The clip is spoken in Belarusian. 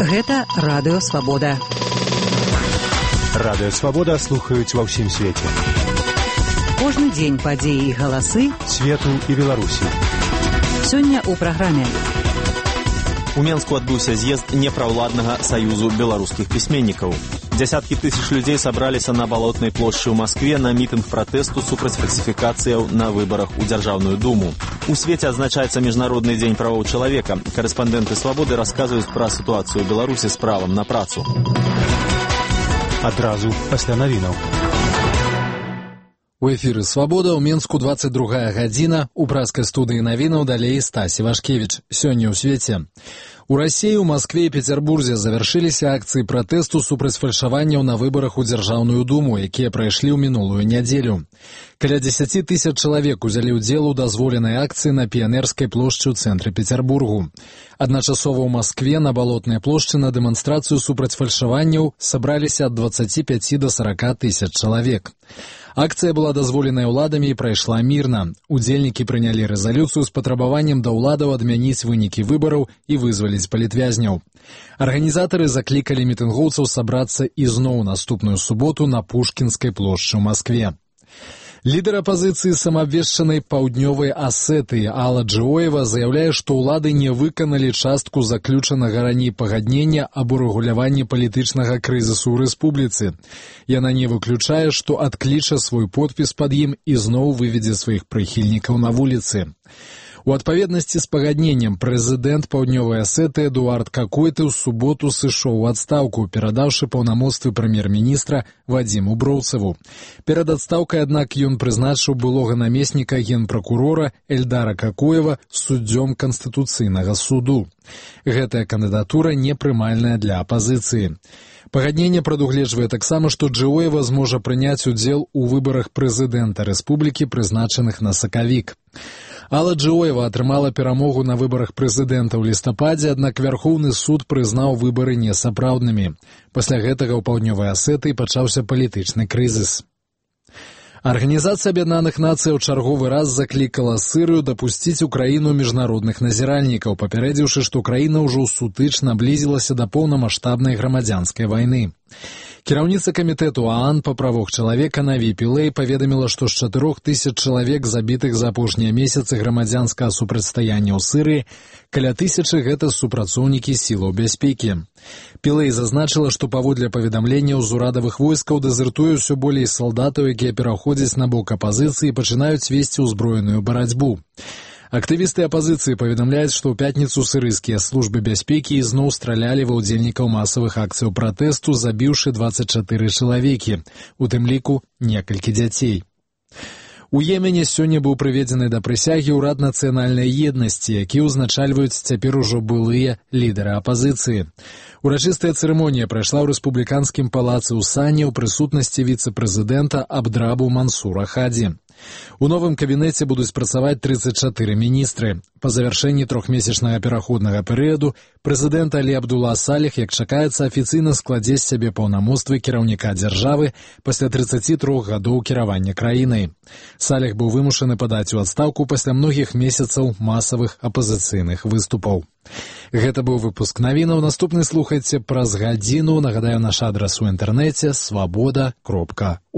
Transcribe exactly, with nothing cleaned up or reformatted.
Гэта Радыё Свабода. Радыё Свабода слухаюць ва ўсім свеце. Кожны дзень падзеі і галасы свету і Беларусі. Сёння ў праграме. У Менску адбыўся з'езд непраўладнага саюзу беларускіх пісьменнікаў. Дзясяткі тысяч людзей сабраліся на Балотнай плошчы ў Маскве на мітынг пратэсту супраць фальсіфікацыяў на выбарах у Дзяржаўную думу. У свеце адзначаецца Міжнародны дзень правоў чалавека. Карэспандэнты Свабоды расказваюць пра сітуацыю ў Беларусі з правам на працу. Адразу пасля навінаў. У эфіры «Свабода» ў Менску дваццаць другая гадзіна. У пражскай студыі навінаў далей Стасі Вашкевіч. Сёння ў свеце. У Расіі, у Маскве і Пецярбурзе завяршыліся акцыі пратэсту супраць фальшаванняў на выбарах у Дзяржаўную думу, якія прайшлі ў мінулую нядзелю. Каля дзесяці тысяч чалавек узялі ўдзел у дазволенай акцыі на Піянерскай плошчы ў цэнтры Пецярбургу. Адначасова ў Маскве на Балотнай плошчы на дэманстрацыю супраць фальшаванняў сабраліся ад дваццаці пяці да сарака тысяч чалавек. Акцыя была дазволеная ўладамі і прайшла мірна. Удзельнікі прынялі рэзалюцыю з патрабаваннем да ўладаў адмяніць вынікі выбараў і вызваліць палітвязняў. Арганізатары заклікалі мітынгоўцаў сабрацца ізноў наступную суботу на Пушкінскай плошчы ў Маскве. Лідар апазіцыі самаабвешчанай паўднёвай Асетыі Алла Джиоева заяўляе, што ўлады не выканалі частку заключанага раней пагаднення аб урэгуляванні палітычнага крызісу ў рэспубліцы. Яна не выключае, што адкліча свой подпіс пад ім і зноў выведзе сваіх прыхільнікаў на вуліцы. У адпаведнасці з пагадненнем прэзідэнт паўднёвай Асеты Эдуард Какойты ў суботу сышоў у адстаўку, перадаўшы паўнамоцтвы прэм'ер-міністра Вадзіму Броўцеву. Перад адстаўкай, аднак, ён прызначыў былога намесніка генпракурора Эльдара Какоева суддзём Канстытуцыйнага суду. Гэтая кандыдатура непрымальная для апазіцыі. Пагадненне прадугледжвае таксама, што Джиоева зможа прыняць удзел у выбарах прэзідэнта рэспублікі, прызначаных на сакавік. Алла Джиоева атрымала перамогу на выбарах прэзідэнта ў лістападзе, аднак Вярхоўны суд прызнаў выбары несапраўднымі. Пасля гэтага ў паўднёвай Асетыі пачаўся палітычны крызіс. Арганізацыя Аб'яднаных Нацый ў чарговы раз заклікала Сырыю дапусціць у краіну міжнародных назіральнікаў, папярэдзіўшы, што краіна ўжо сутыч наблізілася да поўнамаштабнай грамадзянскай вайны. Кіраўніца камітэту ААН па правах чалавека Наві Пілэй паведаміла, што з чатырох тысяч чалавек, забітых за апошнія месяцы грамадзянскага супрацьстаяння ў Сырыі, каля тысячы гэта супрацоўнікі сілаў бяспекі. Пілэй зазначыла, што паводле паведамленняў з урадавых войскаў дэзертуе ўсё болей салдатаў, якія пераходзяць на бок апазіцыі і пачынаюць весці ўзброеную барацьбу. Актывісты апазіцыі паведамляюць, што ў пятніцу сырыйскія службы бяспекі ізноў стралялі ва ўдзельнікаў масавых акцыяў пратэсту, забіўшы дваццаць чатыры чалавекі, у тым ліку некалькі дзяцей. У Йемене сёння быў прыведзены да прысягі ўрад нацыянальнай еднасці, які ўзначальваюць цяпер ужо былыя лідары апазіцыі. Урачыстая цырымонія прайшла ў рэспубліканскім палацы ў Сані ў прысутнасці віцэ-прэзідэнта Абдрабу Мансура Хадзі. У новым кабінеце будуць працаваць трыццаць чатыры міністры. Па завяршэнні трохмесячнага пераходнага перыяду прэзідэнт Алі Абдула Саліх, як чакаецца, афіцыйна складзе з сябе паўнамоцтвы кіраўніка дзяржавы пасля трыццаці трох гадоў кіравання краінай. Саліх быў вымушаны падаць у адстаўку пасля многіх месяцаў масавых апазіцыйных выступаў. Гэта быў выпуск навінаў. Наступны слухайце праз гадзіну. Нагадаю, наш адрас у інтэрнэце свабода кропка орг.